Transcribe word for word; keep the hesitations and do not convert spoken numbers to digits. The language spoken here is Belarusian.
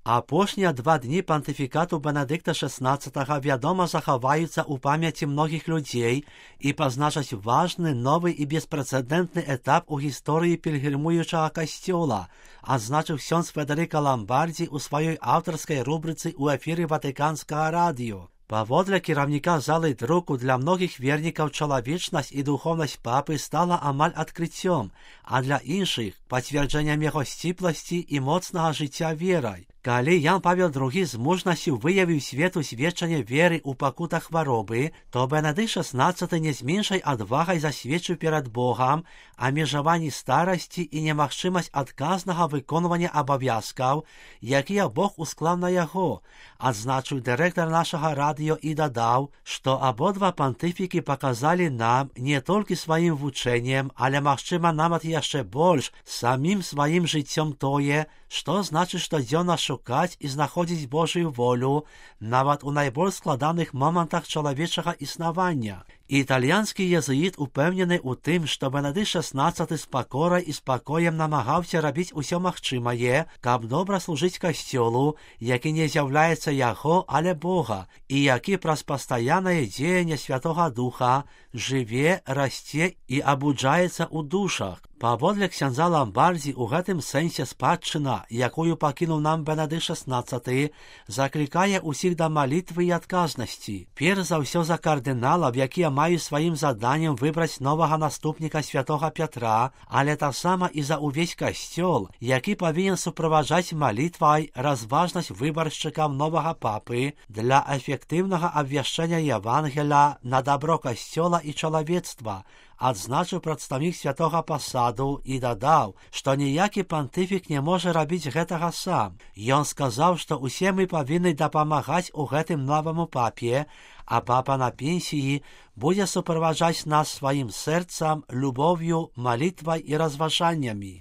Апошнія два дні пантыфікату Бенедикта шестнадцатого, вядома, захаваюцца ў памяці многіх людзей і пазначаць важны, новы і беспрэцэдэнтны этап у гісторыі пільгрымуючага касцёла, адзначыў ксёндз Федэрыка Ламбардзі ў сваёй аўтарскай рубрыцы ў эфіры Ватыканскага радыё. Паводле кіраўніка залы друку, для многіх вернікаў чалавечнасць і духоўнасць папы стала амаль адкрыццём, а для іншых – пацверджэннем яго сціпласці і моцнага жыцця верай. Калі Ян Павел другі з мужнасцю выявіў свету сведчанне веры ў пакутах хваробы, то Бенедыкт шестнадцаты не з меншай адвагай засведчыў перад Богам абмежаванні старасці і немагчымасць адказнага выконвання абавязкаў, якія Бог усклаў на яго, адзначыў дырэктар нашага радыё і дадаў, што абодва пантыфікі паказалі нам не толькі сваім вучэннем, але, магчыма, нават яшчэ больш, самім сваім жыццём тое, што значыць штодзённа шукаць і знаходзіць Божую волю нават у найбольш складаных момантах чалавечага існавання. Італьянскі езуіт упэўнены ў тым, што Бенедыкт шестнадцаты з пакорай і спакоем намагаўся рабіць усё магчымае, каб добра служыць касцёлу, які не з'яўляецца яго, але Бога, і які праз пастаяннае дзеянне Святога Духа жыве, расце і абуджаецца ў душах. Паводле ксяндза Ламбардзі, у гэтым сэнсе спадчына, якую пакінуў нам Бенедыкт шестнадцаты, заклікае ўсіх да малітвы і адказнасці. Перш за ўсё за кардыналаў, якія маюць сваім заданнем выбраць новага наступніка святога Пятра, але таксама і за ўвесь касцёл, які павінен суправаджаць малітвай разважнасць выбаршчыкам новага папы для эфектыўнага абвяшчэння Евангеля на дабро касцёла і чалавецтва, адзначыў прадстаўнік святога пасаду і дадаў, што ніякі пантыфік не можа рабіць гэтага сам. Ён сказаў, што ўсе мы павінны дапамагаць у гэтым новаму папе, а папа на пенсіі будзе суправаджаць нас сваім сэрцам, любоўю, малітвай і разважаннямі.